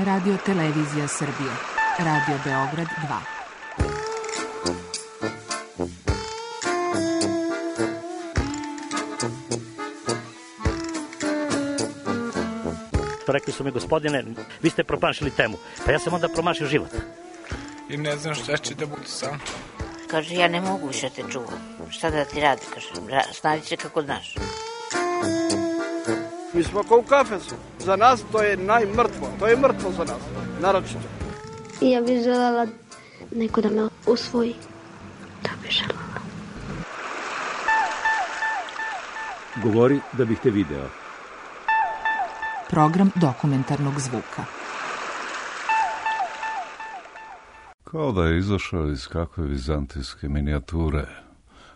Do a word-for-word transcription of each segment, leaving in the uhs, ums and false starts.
Radio Televizija Srbije. Radio Beograd dva. Rekli su mi, gospodine, vi ste promašili temu. Pa ja sam onda promašio život. I ne znam šta će da bude sam. Kaže, ja ne mogu više te čuvam. Šta da ti radi, kaže, snađi se kako znaš. Mi smo kao u kafesu. Za nas to je najmrtvo. To je mrtvo za nas, naročito. Ja bih želela neko da me usvoji. Da bih želela. Govori da bih te video. Program dokumentarnog zvuka. Kao da je izašao iz kakve vizantijske minijature.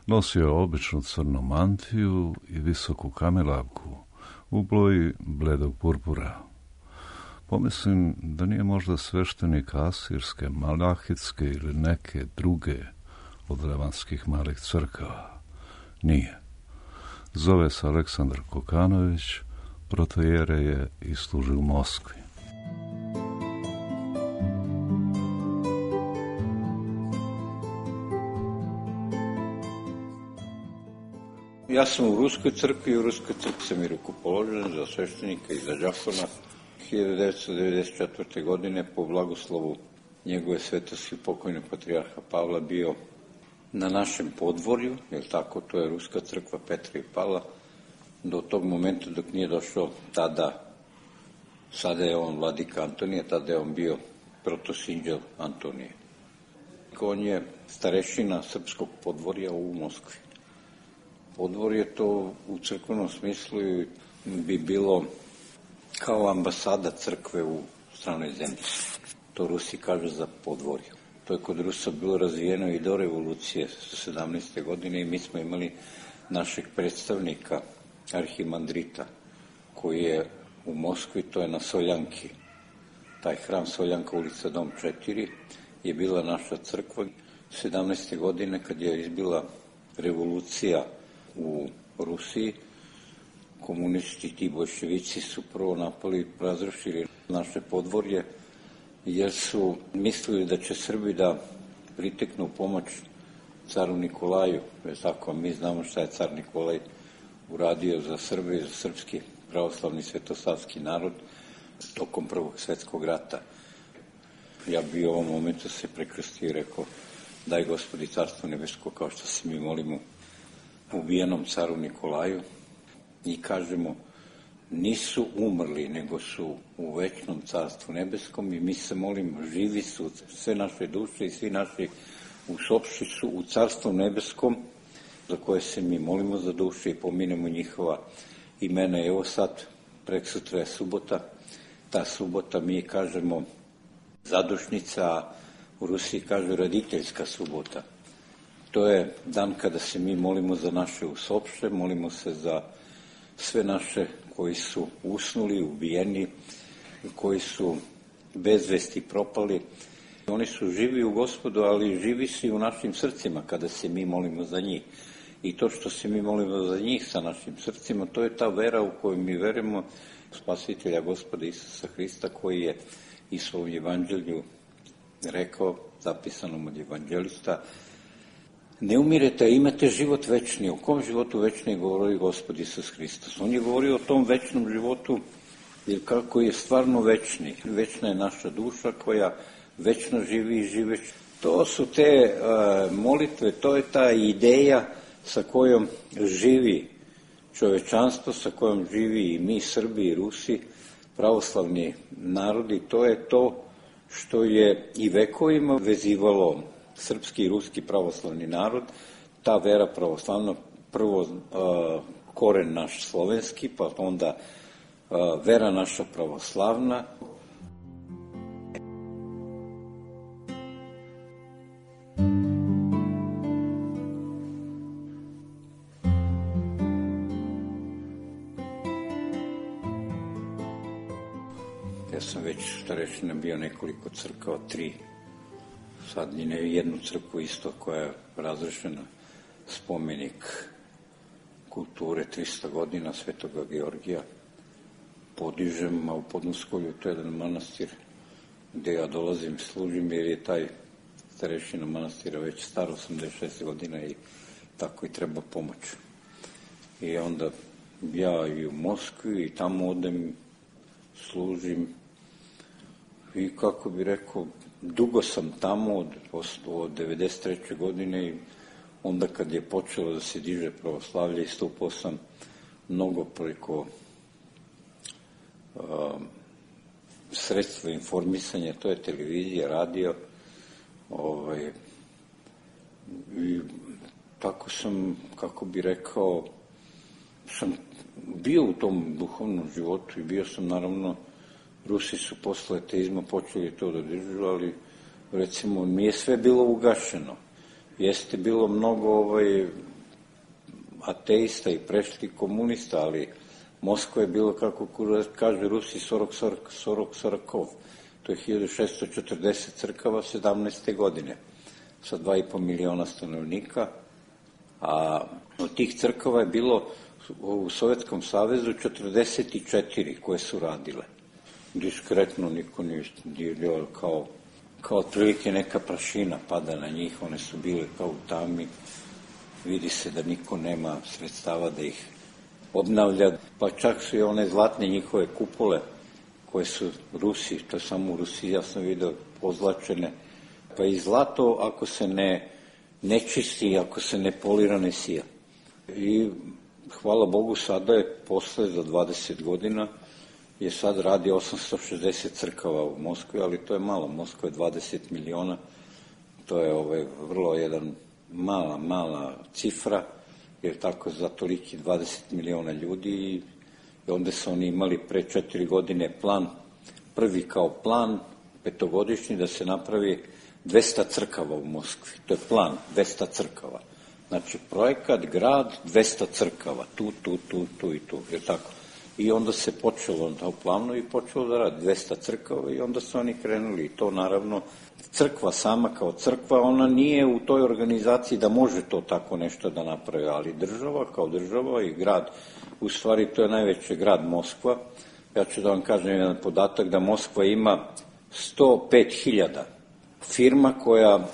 Nosio je običnu crnu mantiju i visoku kamilavku u boji bledog purpura. Pomislim da nije možda sveštenik asirske, malahitske ili neke druge od levanskih malih crkava. Nije. Zove se Aleksandar Kokanović, protojere je i služi u Moskvi. Ja sam u Ruskoj crkvi i u Ruskoj crkvi sam i rukopoložen za sveštenika i za đakona. hiljadu devetsto devedeset četvrte. godine po blagoslovu njegove svetosti pokojnog patrijarha Pavla bio na našem podvorju, jer tako, to je Ruska crkva Petra i Pavla, do tog momenta dok nije došao tada, sada je on vladika Antonije, tada je on bio protosinđel Antonije. On je starešina srpskog podvorja u Moskvi. Podvorje to u crkvenom smislu bi bilo kao ambasada crkve u stranoj zemlji. To Rusi kažu za podvorje. To je kod Rusa bilo razvijeno i do revolucije sedamnaeste. godine i mi smo imali našeg predstavnika, arhimandrita, koji je u Moskvi, to je na Soljanki. Taj hram Soljanka, ulica Dom četiri, je bila naša crkva. sedamnaeste. godine, kad je izbila revolucija u Rusiji, komunisti i ti bolševici su prvo napali i razrušili naše podvorje, jer su mislili da će Srbi da priteknu pomoć caru Nikolaju. Tako, mi znamo šta je car Nikolaj uradio za Srbe i za srpski pravoslavni svetosavski narod tokom Prvog svetskog rata. Ja bi u ovom momentu se prekrstio i rekao, daj Gospodi carstvo nebesko, kao što se mi molimo ubijenom caru Nikolaju, i kažemo, nisu umrli, nego su u večnom carstvu nebeskom, i mi se molimo, živi su sve naše duše i svi naši usopši su u carstvu nebeskom, za koje se mi molimo za duše i pominemo njihova imena. Evo sad, preksutra je subota, ta subota mi kažemo zadušnica, a u Rusiji kažu roditeljska subota. To je dan kada se mi molimo za naše usopše, molimo se za sve naše koji su usnuli, ubijeni, koji su bez vesti propali. Oni su živi u Gospodu, ali živi su i u našim srcima kada se mi molimo za njih. I to što se mi molimo za njih sa našim srcima, to je ta vera u koju mi verujemo Spasitelja Gospoda Isusa Hrista, koji je i svom evanđelju rekao, zapisanom od evanđelista, ne umirete, a imate život večni. O kom životu večni govori Gospod Isus Hristos? On je govorio o tom večnom životu, jer kako je stvarno večni. Večna je naša duša koja večno živi i živeć. To su te uh, molitve, to je ta ideja sa kojom živi čovečanstvo, sa kojom živi i mi, Srbi i Rusi, pravoslavni narodi. To je to što je i vekovima vezivalo srpski i ruski pravoslavni narod, ta vera pravoslavna, prvo uh, koren naš slovenski, pa onda uh, vera naša pravoslavna. Ja sam već starešina bio nekoliko crkava, tri. Sad i ne jednu crkvu isto koja je razrešena, spomenik kulture trista godina Svetoga Georgija. Podižem, a u Podnoskolju to je jedan manastir gde ja dolazim, služim, jer je taj starešina manastira već star, osamdeset šest godina i tako i treba pomoć. I onda ja i u Moskvi i tamo odem, služim i kako bi rekao, dugo sam tamo od, od devedeset treće godine i onda kad je počelo da se diže pravoslavlje, istupao sam mnogo preko uh, sredstva informisanja, to je televizija, radio, ovaj, i tako sam, kako bi rekao, sam bio u tom duhovnom životu i bio sam, naravno, Rusi su posle ateizma počeli to da dižu, ali recimo nije sve bilo ugašeno. Jeste bilo mnogo ovaj, ateista i prešli komunista, ali Moskva je bilo, kako kaže Rusi, sorok, sorok, sorok, sorokov. To je hiljadu šeststo četrdeset crkava sedamnaeste godine sa dva i po miliona stanovnika, a od tih crkava je bilo u Sovjetskom savezu četrdeset četiri koje su radile. Diskretno niko nije dirao, kao, kao otprilike neka prašina pada na njih, one su bile kao u tami, vidi se da niko nema sredstava da ih obnavlja, pa čak su i one zlatne njihove kupole koje su Rusi, to je samo u Rusiji, ja sam vidio, pozlačene, pa i zlato ako se ne, ne čisti, ako se ne polira, ne sija. I hvala Bogu, sada je posle za dvadeset godina je sad radi osamsto šezdeset crkava u Moskvi, ali to je malo, Moskva je dvadeset miliona, to je ovaj, vrlo jedan mala, mala cifra, jer tako za toliki dvadeset miliona ljudi i onda su oni imali pre četiri godine plan, prvi kao plan, petogodišnji, da se napravi dvesta crkava u Moskvi, to je plan, dvesta crkava. Znači, projekat, grad, dvesta crkava, tu, tu, tu, tu i tu, je tako. I onda se počelo na planu i počelo da radi dvesta crkava i onda su oni krenuli. I to naravno, crkva sama kao crkva, ona nije u toj organizaciji da može to tako nešto da napravi, ali država kao država i grad, u stvari to je najveći grad Moskva. Ja ću da vam kažem jedan podatak da Moskva ima sto pet hiljada firma koja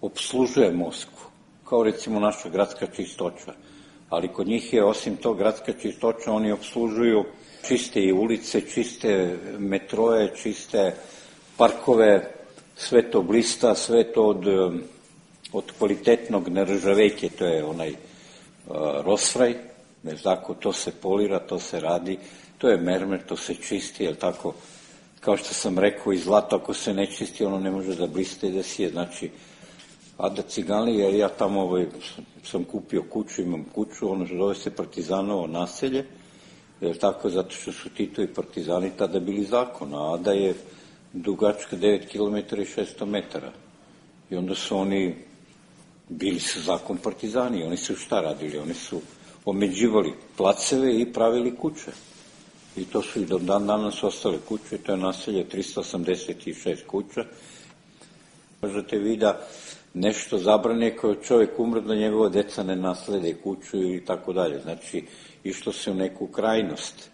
obslužuje Moskvu, kao recimo naša gradska čistoća. Ali kod njih je, osim to, gradska čistoća, oni obslužuju čiste i ulice, čiste metroje, čiste parkove, sve to blista, sve to od, od kvalitetnog neržavejke, to je onaj uh, rosfraj, ne tako, to se polira, to se radi, to je mermer, to se čisti, jel tako, kao što sam rekao, i zlato ako se ne čisti, ono ne može da bliste i da sije, znači, a da Cigani, jer ja tamo ovaj, sam kupio kuću, imam kuću, ono zove se Partizanovo naselje, jer tako, zato što su Tito i Partizani tada bili zakon, a Ada je dugačka devet kilometara i šesto metara. I onda su oni, bili su zakon Partizani, oni su šta radili? Oni su omeđivali placeve i pravili kuće. I to su i do dan danas ostale kuće, to je naselje tristo osamdeset šest kuća. Možete vi da nešto zabrane kao čovjek umre da njegova deca ne naslede kuću ili tako dalje. Znači, išlo se u neku krajnost.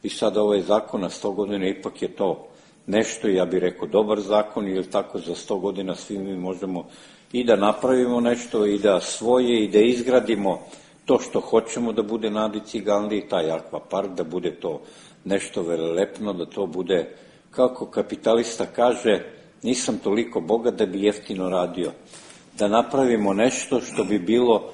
I sad ovaj zakon na sto godina ipak je to nešto, ja bih rekao, dobar zakon, ili tako za sto godina svi mi možemo i da napravimo nešto, i da svoje, i da izgradimo to što hoćemo da bude na Adi Ciganliji, taj akvapark, da bude to nešto velelepno, da to bude, kako kapitalista kaže, nisam toliko bogat da bi jeftino radio. Da napravimo nešto što bi bilo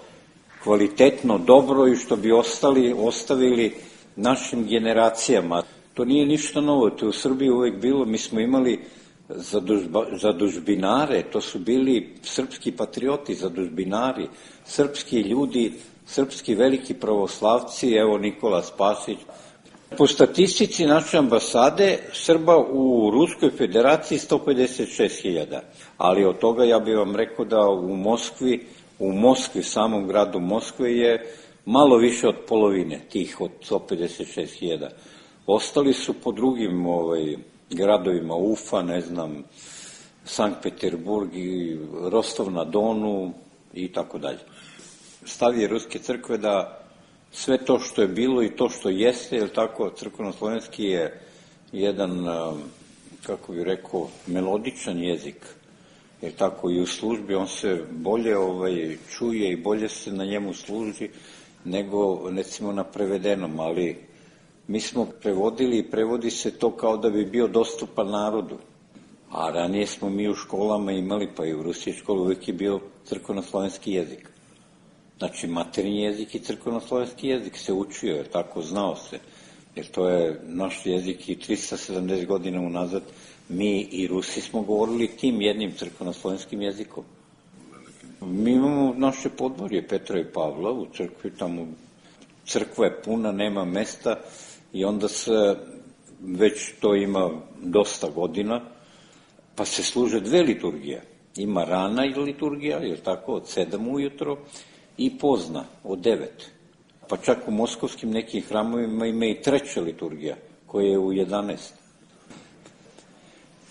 kvalitetno, dobro i što bi ostali, ostavili našim generacijama. To nije ništa novo, to je u Srbiji uvek bilo, mi smo imali zadužba, zadužbinare, to su bili srpski patrioti, zadužbinari, srpski ljudi, srpski veliki pravoslavci, evo Nikola Spasić. Po statistici naše ambasade, Srba u Ruskoj federaciji sto pedeset šest hiljada, ali od toga ja bih vam rekao da u Moskvi, u Moskvi, samom gradu Moskve je malo više od polovine tih od sto pedeset šest hiljada. Ostali su po drugim ovaj, gradovima, Ufa, ne znam, Sankt Peterburg i Rostov na Donu i tako dalje. Stav je Ruske crkve da sve to što je bilo i to što jeste, jer tako, crkveno-slovenski je jedan kako bi rekao, melodičan jezik. Jer tako i u službi on se bolje ovaj, čuje i bolje se na njemu služi nego, recimo, na prevedenom, ali mi smo prevodili i prevodi se to kao da bi bio dostupan narodu. A ranije smo mi u školama imali, pa i u Rusiji školu, uvijek je bio crkveno-slovenski jezik. Znači, materinji jezik i crkveno-slovenski jezik se učio, jer tako znao se. Jer to je naš jezik i tristo sedamdeset godina unazad mi i Rusi smo govorili tim jednim crkveno-slovenskim jezikom. Mi imamo naše podvorje Petra i Pavla u crkvi, tamo crkva je puna, nema mesta i onda se, već to ima dosta godina, pa se služe dve liturgije. Ima rana liturgija, je tako, od sedam ujutro i pozna, od devet. Pa čak u moskovskim nekim hramovima ima i treća liturgija, koja je u jedanaest.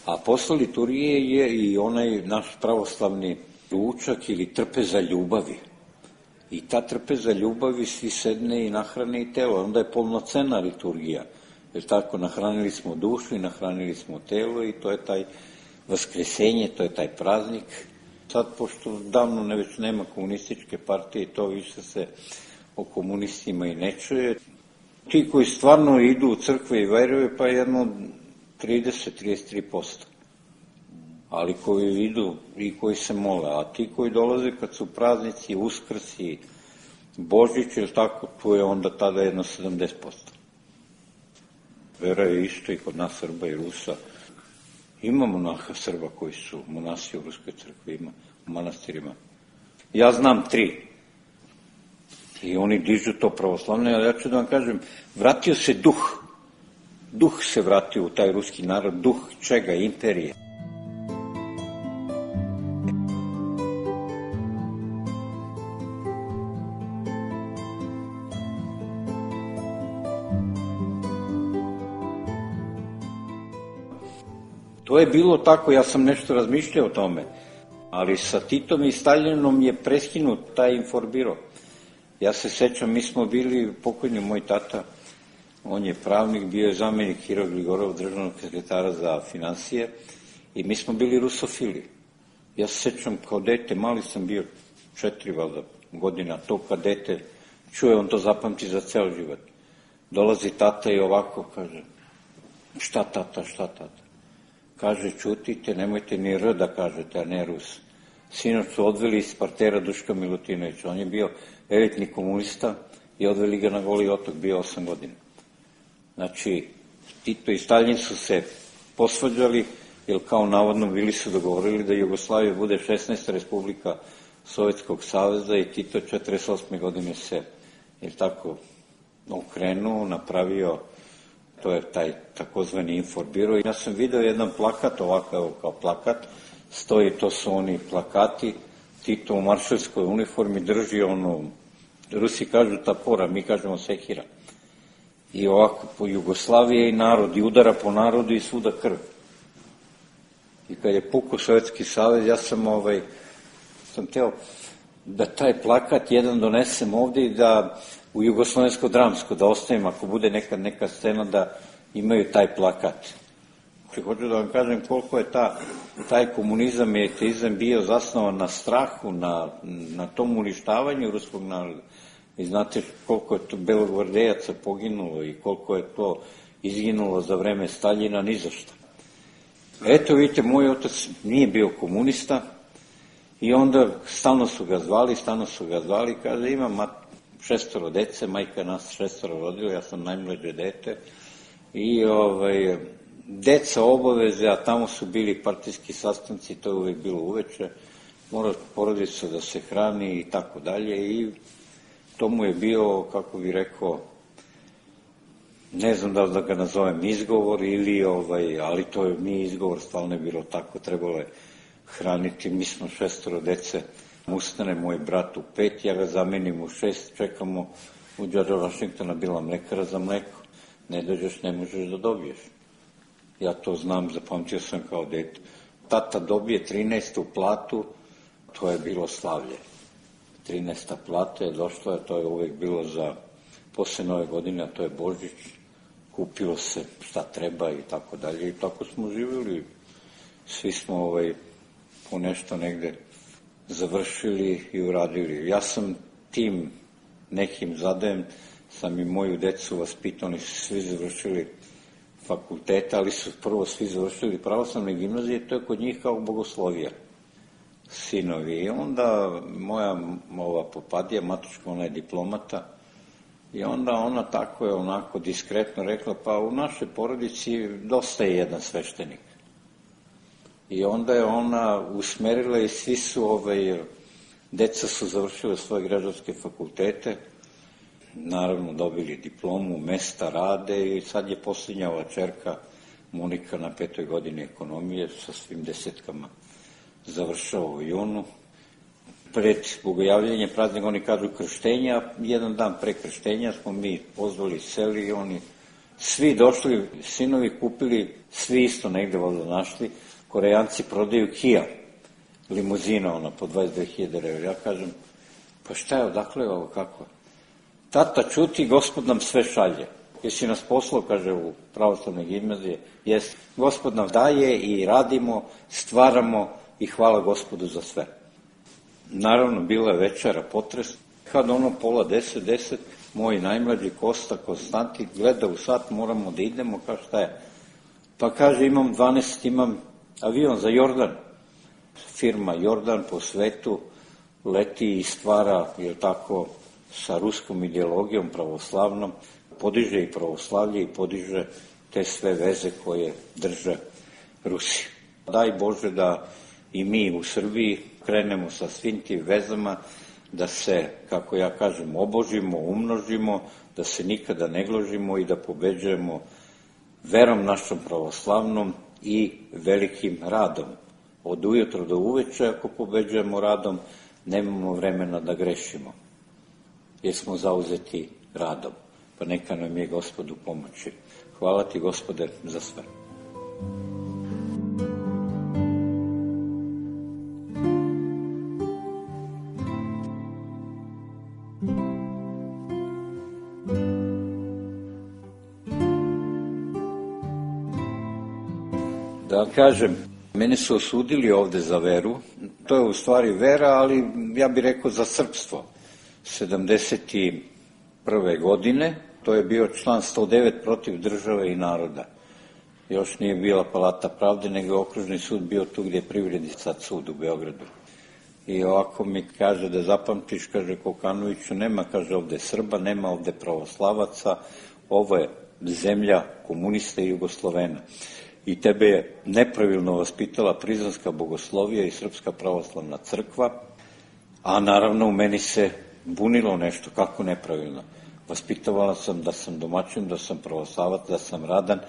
A posle liturgije je i onaj naš pravoslavni ručak ili trpeza ljubavi. I ta trpeza ljubavi svi sedne i nahrane i telo. Onda je polnocena liturgija. Jer tako, nahranili smo dušu i nahranili smo telo i to je taj vaskresenje, to je taj praznik. Sad, pošto davno ne već nema komunističke partije, to više se o komunistima i ne čuje. Ti koji stvarno idu u crkve i veruju, pa jedno trideset do trideset tri posto. Ali koji idu i koji se mole. A ti koji dolaze kad su praznici, Uskrsi, Božić, ili tako, tu je onda tada jedno sedamdeset posto. Vera je isto i kod nas Srba i Rusa. Ima monaha Srba koji su monasi u Ruskoj crkvi, ima u manastirima. Ja znam tri. I oni dižu to pravoslavne, ali ja ću da vam kažem, vratio se duh. Duh se vratio u taj ruski narod, duh čega? Imperije. To je bilo tako, ja sam nešto razmišljao o tome, ali sa Titom i Staljinom je preskinut taj informbiro. Ja se sećam, mi smo bili, pokojni moj tata, on je pravnik, bio je zamenik Hira Gligorov, državnog sekretara za finansije, i mi smo bili rusofili. Ja se sećam, kao dete, mali sam bio, četiri valjda godina, to kad dete čuje, on to zapamti za ceo život. Dolazi tata i ovako kaže, šta tata, šta tata? Kaže, čutite, nemojte ni R da kažete, a ne Rus. Sinoć su odveli iz partera Duška Milutinovića, on je bio elitni komunista i odveli ga na Goli otok, bio osam godina. Znači, Tito i Staljin su se posvađali, jer kao navodno bili su dogovorili da Jugoslavija bude šesnaesta republika Sovjetskog saveza i Tito četrdeset osme godine se, jer tako, okrenuo, napravio, to je taj takozvani informbiro. Ja sam video jedan plakat, ovako evo kao plakat, stoji, to su oni plakati, Tito u maršalskoj uniformi drži ono, Rusi kažu tapora, mi kažemo sekira. I ovako po Jugoslavije i narod, i udara po narodu i svuda krv. I kad je pukao Sovjetski savez, ja sam ovaj, sam teo da taj plakat jedan donesem ovde i da u Jugoslovensko-dramsko, da ostavim, ako bude neka, neka scena, da imaju taj plakat. Hoću da vam kažem koliko je ta, taj komunizam i ateizam bio zasnovan na strahu, na, na tom uništavanju ruskog naroda. I znate koliko je to belogvardejaca poginulo i koliko je to izginulo za vreme Staljina, ni za šta. Eto, vidite, moj otac nije bio komunista i onda stalno su ga zvali, stalno su ga zvali, kaže, imam šestoro dece, majka nas šestoro rodila, ja sam najmlađe dete i ovaj, deca obaveze, a tamo su bili partijski sastanci, to je uvek bilo uveče, mora porodica da se hrani i tako dalje i to mu je bio, kako bi rekao, ne znam da li da ga nazovem izgovor ili, ovaj, ali to je nije izgovor, stvarno je bilo tako, trebalo je hraniti, mi smo šestoro dece, ustane moj brat u pet, ja ga zamenim u šest, čekamo u George Washingtona, bila mlekara za mleko, ne dođeš, ne možeš da dobiješ. Ja to znam, zapamtio sam kao dete. Tata dobije trinaestu platu, to je bilo slavlje. trinaesta plata je došla, to je uvek bilo za posle nove godine, a to je Božić, kupilo se šta treba i tako dalje i tako smo živjeli. Svi smo ovaj, po nešto negde završili i uradili. Ja sam tim nekim zadajem, sam i moju decu vaspitao, oni su svi završili fakultete, ali su prvo svi završili pravoslavne gimnazije, to je kod njih kao bogoslovija, sinovi. I onda moja ova popadija, matuška, ona je diplomata, i onda ona tako je onako diskretno rekla, pa u našoj porodici dosta je jedan sveštenik. I onda je ona usmerila i svi su, ovaj, deca su završile svoje građanske fakultete, naravno dobili diplomu, mesta rade i sad je posljednja ova čerka Monika na petoj godini ekonomije sa svim desetkama završava u junu. Pred bogojavljanje praznika oni kažu krštenja, jedan dan pre krštenja smo mi pozvali seli i oni svi došli, sinovi kupili, svi isto negde valjda našli, Korejanci prodaju Kia, limuzina ona po dvadeset dve hiljade evra. Ja kažem, pa šta je, odakle je ovo, kako? Tata, čuti, Gospod nam sve šalje. Jesi nas poslao, kaže, u pravoslavne gimnazije? Jesi. Gospod nam daje i radimo, stvaramo i hvala Gospodu za sve. Naravno, bila je večera, potres. Kad ono pola deset, deset, moj najmlađi Kosta Konstantin gleda u sat, moramo da idemo, kao šta je? Pa kaže, imam dvanaest, imam avion za Jordan. Firma Jordan po svetu leti i stvara, jer tako, sa ruskom ideologijom pravoslavnom, podiže i pravoslavlje i podiže te sve veze koje drže Rusi. Daj Bože da i mi u Srbiji krenemo sa svim tim vezama, da se, kako ja kažem, obožimo, umnožimo, da se nikada ne gložimo i da pobeđujemo verom našom pravoslavnom i velikim radom. Od ujutro do uveče, ako pobeđujemo radom, nemamo vremena da grešimo, jer smo zauzeti radom. Pa neka nam je Gospodu pomoći. Hvala ti, Gospode, za sve. Da kažem, mene su osudili ovde za veru, to je u stvari vera, ali ja bih rekao za srpstvo. sedamdeset prve godine, to je bio član sto devet protiv države i naroda. Još nije bila Palata pravde, nego je okružni sud bio tu gdje je privredni sad sud u Beogradu. I ovako mi kaže da zapamtiš, kaže Kokanoviću, nema, kaže ovde Srba, nema ovde pravoslavaca, ovo je zemlja komunista i Jugoslovena. I tebe je nepravilno vaspitala Prizrenska bogoslovija i Srpska pravoslavna crkva, a naravno u meni se bunilo nešto, kako nepravilno. Vaspitavala sam da sam domaćin, da sam pravoslavac, da sam radan,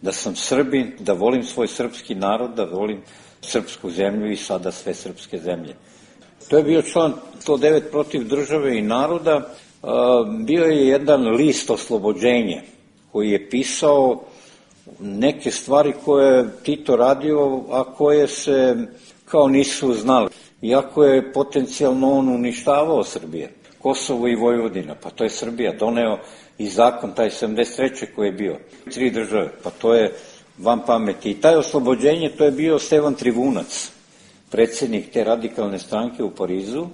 da sam Srbin, da volim svoj srpski narod, da volim srpsku zemlju i sada sve srpske zemlje. To je bio član sto devet protiv države i naroda. Bio je jedan list Oslobođenje koji je pisao neke stvari koje je Tito radio, a koje se kao nisu znali. Iako je potencijalno on uništavao Srbije, Kosovo i Vojvodina, pa to je Srbija doneo i zakon taj sedamdeset treće koji je bio, tri države, pa to je van pameti. I taj Oslobođenje, to je bio Stevan Trivunac, predsjednik te radikalne stranke u Parizu,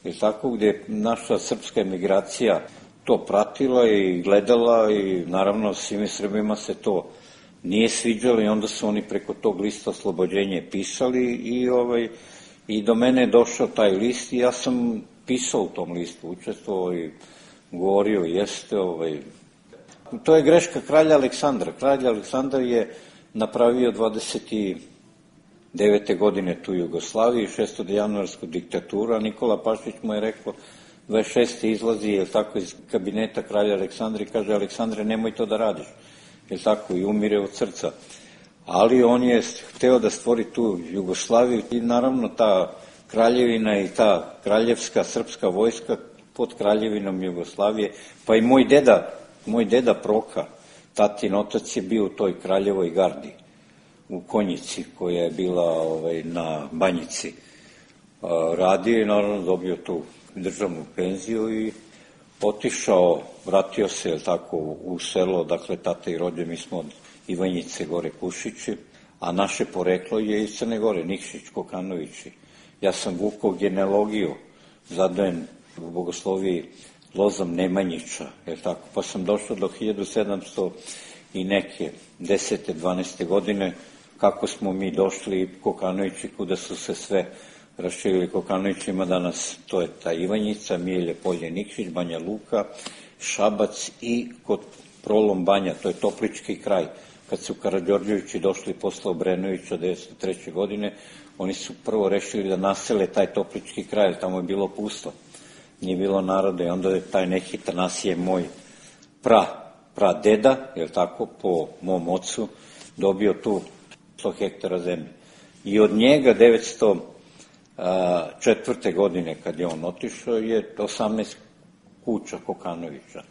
i tako gdje je naša srpska emigracija to pratila i gledala i naravno svim Srbima se to nije sviđalo i onda su oni preko tog lista Oslobođenje pisali i, ovaj, i do mene je došao taj list i ja sam pisao u tom listu, učestvovao i govorio, jeste, ovaj, to je greška kralja Aleksandra. Kralj Aleksandar je napravio dvadeset devete godine tu Jugoslaviju, šestodecembarsku diktaturu, a Nikola Pašić mu je rekao, dvadeset šeste izlazi, je tako, iz kabineta kralja Aleksandra i kaže, Aleksandre, nemoj to da radiš, je tako, i umire od srca. Ali on je hteo da stvori tu Jugoslaviju i naravno ta kraljevina i ta kraljevska srpska vojska pod kraljevinom Jugoslavije, pa i moj deda, moj deda Proka, tatin otac je bio u toj kraljevoj gardi u Konjici, koja je bila ovaj, na Banjici. Radio i naravno dobio tu državnu penziju i otišao, vratio se, jel tako, u selo, dakle, tata i rođe, mi smo od Ivanjice gore Kušići, a naše poreklo je iz Crne Gore, Nikšić, Kokanovići. Ja sam vukao genealogiju, zadojen u bogosloviji Lozom Nemanjića, jel tako, pa sam došao do hiljadu sedamsto i neke, desete, dvanaeste godine, kako smo mi došli Kokanovići, kuda su se sve raširili Kokanovićima danas, to je ta Ivanjica, Mijelje, Polje, Nikšić, Banja Luka, Šabac i kod Prolom Banja, to je Toplički kraj. Kad su Karađorđevići došli posle Obrenovića devetsto treće. godine, oni su prvo rešili da nasele taj Toplički kraj, jer tamo je bilo pusto, nije bilo naroda i onda je taj neki Tanasije, moj pra, pra deda, jel tako, po mom ocu, dobio tu sto hektara zemlje. I od njega devetsto četvrte. godine, kad je on otišao, je osamnaest kuća Kokanovića.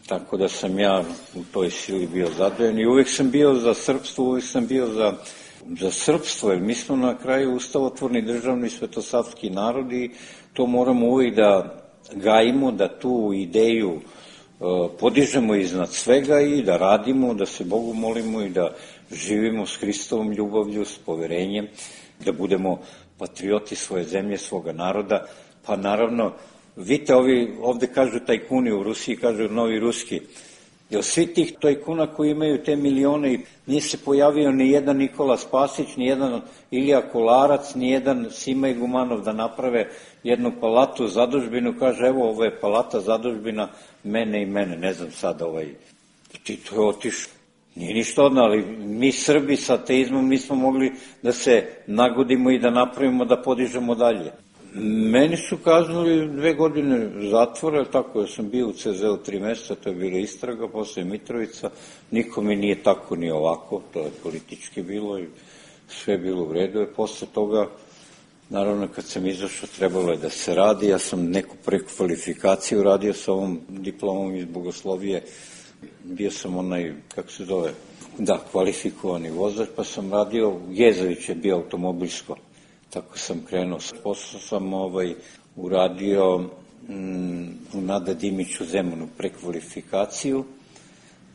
Tako da sam ja u toj sili bio zadovoljan i uvek sam bio za srpstvo, uvek sam bio za, za srpstvo, jer mi smo na kraju ustavotvorni državni svetosavski narod i to moramo uvek da gajimo, da tu ideju e, podižemo iznad svega i da radimo, da se Bogu molimo i da živimo s Hristovom ljubavlju, s poverenjem, da budemo patrioti svoje zemlje, svoga naroda, pa naravno, vidite, ovi ovde kažu tajkuni, u Rusiji kažu novi ruski, jer svi tih tajkuna koji imaju te milione i nije se pojavio ni jedan Nikola Spasić, ni jedan Ilija Kolarac, ni jedan Sima Igumanov da naprave jednu palatu, zadužbinu, kaže evo ovo je palata, zadužbina mene i mene, ne znam sad ovaj, ti to je otišao. Nije ništa odno, ali mi Srbi sa ateizmom nismo mogli da se nagodimo i da napravimo, da podižemo dalje. Meni su kaznili dve godine zatvora, tako da sam bio u ce zeu tri meseca, to je bila istraga, posle Mitrovica, niko mi nije tako ni ovako, to je politički bilo i sve je bilo u redu. I posle toga, naravno kad sam izašao, trebalo je da se radi, ja sam neku prekvalifikaciju radio sa ovom diplomom iz bogoslovije, bio sam onaj, kako se zove, da, kvalifikovani vozač, pa sam radio, Gezović je bio automobilsko. Tako sam krenuo. Posle sam ovaj, uradio mm, u Nada Dimiću Zemunu prekvalifikaciju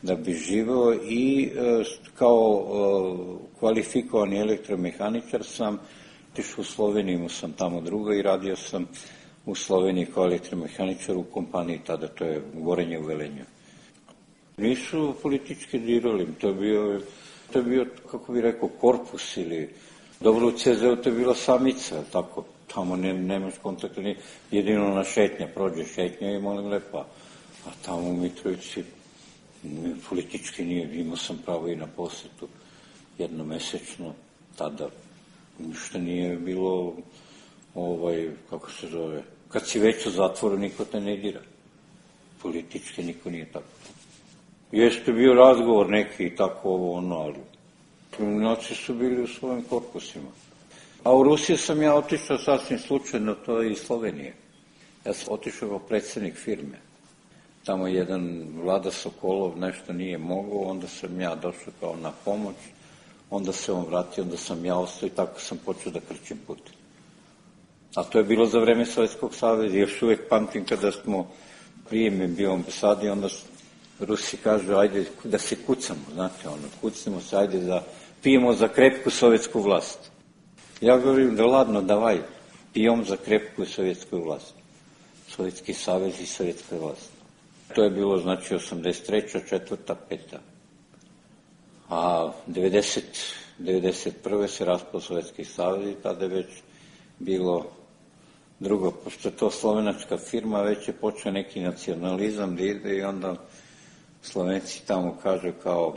da bi živeo i e, kao e, kvalifikovani elektromehaničar sam otišao u Sloveniju, imao sam tamo druga i radio sam u Sloveniji kao elektromehaničar u kompaniji tada, to je Gorenje u Velenju. Nisu politički dirali, to je bio, to je bio, kako bih rekao, korpus ili dobro, u ce zeu to je bila samica, tako, tamo ne, nemaš kontakta, ni jedino na šetnja, prođe šetnja i molim lepa, a tamo u Mitrovici politički nije, imao sam pravo i na posetu jednomesečno, tada ništa nije bilo, ovaj, kako se zove, kad si već u zatvoru, niko te ne dira, politički niko nije tako. Jeste bio razgovor neki i tako ovo ono, ali kriminalci su bili u svojim korpusima. A u Rusiju sam ja otišao sasvim slučajno, to je iz Slovenije. Ja sam otišao kao predsednik firme. Tamo jedan Vlada Sokolov nešto nije mogao, onda sam ja došao kao na pomoć, onda se on vratio, onda sam ja ostao i tako sam počeo da krčim put. A to je bilo za vreme Sovjetskog saveza, još uvek pamtim kada smo prijeme bio ambasadi, onda Rusi kažu, ajde da se kucamo, znate, ono, kucnemo se, ajde da pijemo za krepku sovjetsku vlast. Ja govorim da ladno, davaj, pijom za krepku sovjetsku vlast. Sovjetski savez i sovjetska vlast. To je bilo, znači, osamdeset treća, četvrta, peta. A devedeset, devedeset prve se raspao Sovjetski savez i tada je već bilo drugo, pošto je to slovenačka firma, već je počeo neki nacionalizam da ide i onda Slovenci tamo kažu kao,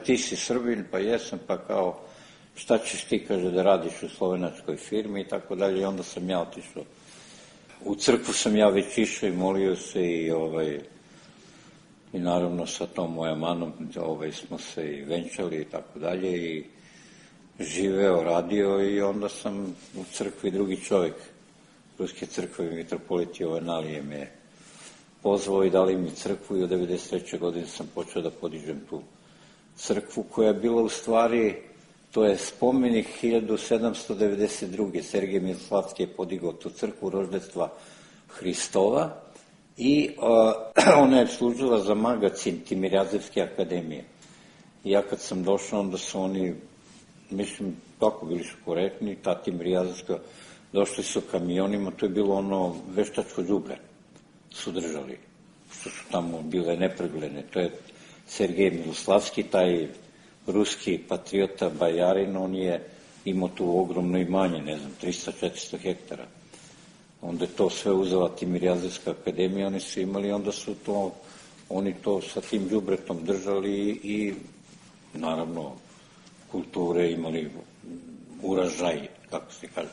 ti si Srbin, pa jesam, pa kao, šta ćeš ti, kaže, da radiš u slovenačkoj firmi i tako dalje. I onda sam ja otišao. U crkvu sam ja već išao i molio se i, ovaj, i naravno sa tom moja manom ovaj, smo se i venčali i tako dalje i živeo, radio i onda sam u crkvi drugi čovjek Ruske crkve, mitropolit Jovanalije me pozvao i dali mi crkvu i od devedeset treće. godine sam počeo da podižem tu crkvu koja je bila u stvari, to je spomenik hiljadu sedamsto devedeset druge. Sergej Miloslavski je podigao tu crkvu roždestva Hristova i uh, ona je služila za magacin Timirazevske akademije. I ja kad sam došao, onda su oni, mislim, tako bili su korektni, ta Timirazevska, došli su kamionima, to je bilo ono veštačko đubre, su držali, što su tamo bile nepregledne. To je Sergej Miloslavski, taj ruski patriota, bajarin, on je imao tu ogromno imanje, ne znam, trista do četiristo hektara. Onda je to sve uzela Timirazevska akademija, oni su imali, onda su to, oni to sa tim đubretom držali i, naravno, kulture, imali uražaj, kako se kaže,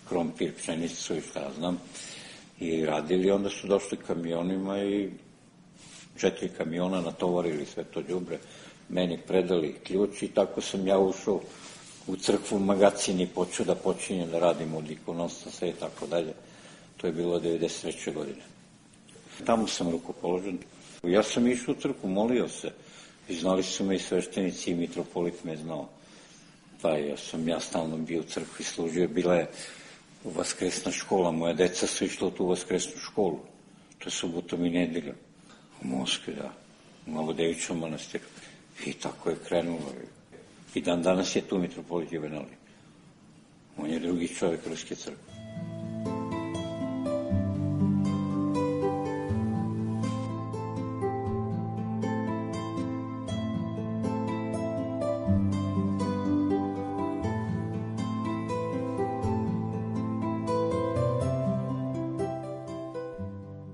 krompir, pšenicu i šta znam, i radili. Onda su došli kamionima i četiri kamiona natovarili sve to đubre, meni predali ključ i tako sam ja ušao u crkvu magacin i počeo da počinjem da radim od ikonostas i tako dalje. To je bilo devedeset treće godine. Tamo sam rukopoložen. Ja sam išao u crkvu, molio se. I znali su me i sveštenici i mitropolit me znao. Pa ja sam ja stalno bio u crkvi, služio. Bila je vaskresna škola. Moja deca su išla u tu vaskresnu školu. To je subotom i nedeljom. U Moskvi, da. U Novodevićom manastiru. I tako je krenulo. I dan danas je tu mitropolit Juvenali. On je drugi čovjek Ruske crkve.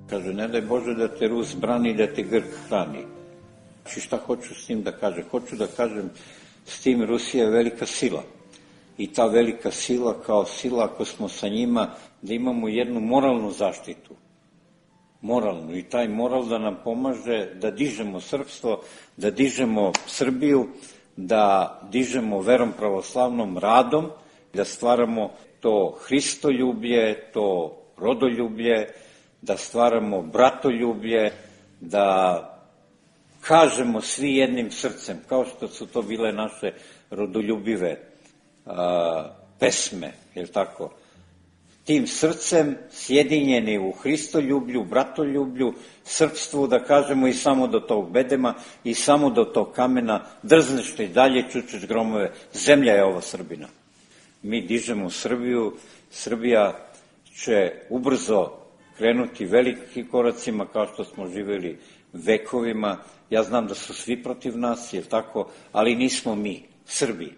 Kaže, ne daj Bože da te Rus brani, da te Grk hrani. Znači, šta hoću s tim da kažem? Hoću da kažem, s tim Rusija je velika sila. I ta velika sila, kao sila, ako smo sa njima, da imamo jednu moralnu zaštitu. Moralnu. I taj moral da nam pomaže da dižemo srpstvo, da dižemo Srbiju, da dižemo verom pravoslavnom radom, da stvaramo to hristoljublje, to rodoljublje, da stvaramo bratoljublje, da kažemo svi jednim srcem, kao što su to bile naše rodoljubive a, pesme, je li tako? Tim srcem sjedinjeni u hristoljublju, bratoljublju, srpstvu, da kažemo i samo do tog bedema i samo do tog kamena, drzneš i dalje, čučeš gromove, zemlja je ova Srbina. Mi dižemo Srbiju, Srbija će ubrzo krenuti velikim koracima kao što smo živjeli vekovima. Ja znam da su svi protiv nas, je tako, ali nismo mi, Srbi.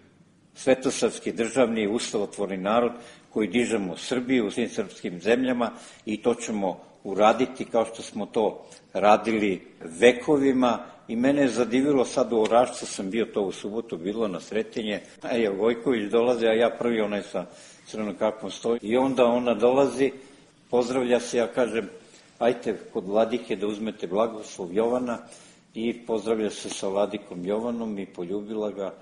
Svetosavski državni ustavotvorni narod koji dižemo Srbiju u svim srpskim zemljama i to ćemo uraditi kao što smo to radili vekovima. I mene je zadivilo, sad u Orašcu sam bio to u subotu, bilo na Sretenje, a je Vojković dolazi, a ja prvi onaj sa crvenom kapom stoji. I onda ona dolazi, pozdravlja se, ja kažem, ajte kod vladike da uzmete blagoslov Jovana i pozdravlja se sa vladikom Jovanom i poljubila ga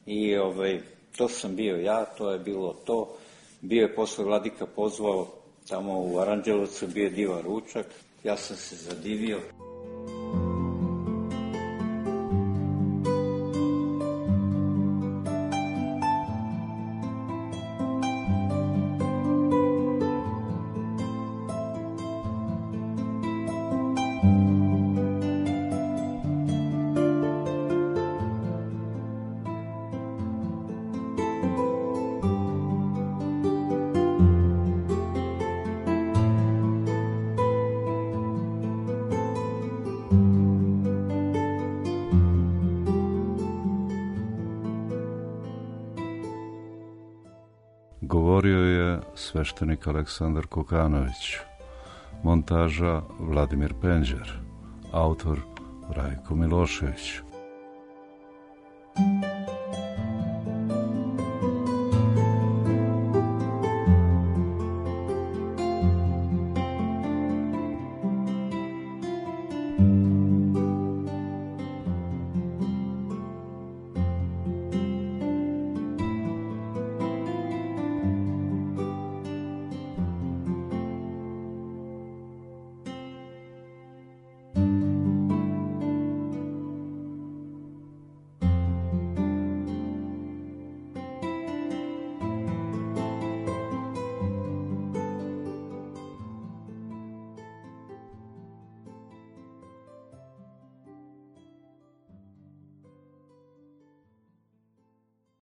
i ovaj, to sam bio ja, to je bilo to. Bio je posle vladika pozvao tamo u Aranđelovcu, bio je divan ručak, ja sam se zadivio. Govorio je sveštenik Aleksandar Kokanović, montaža Vladimir Penđer, autor Rajko Milošević.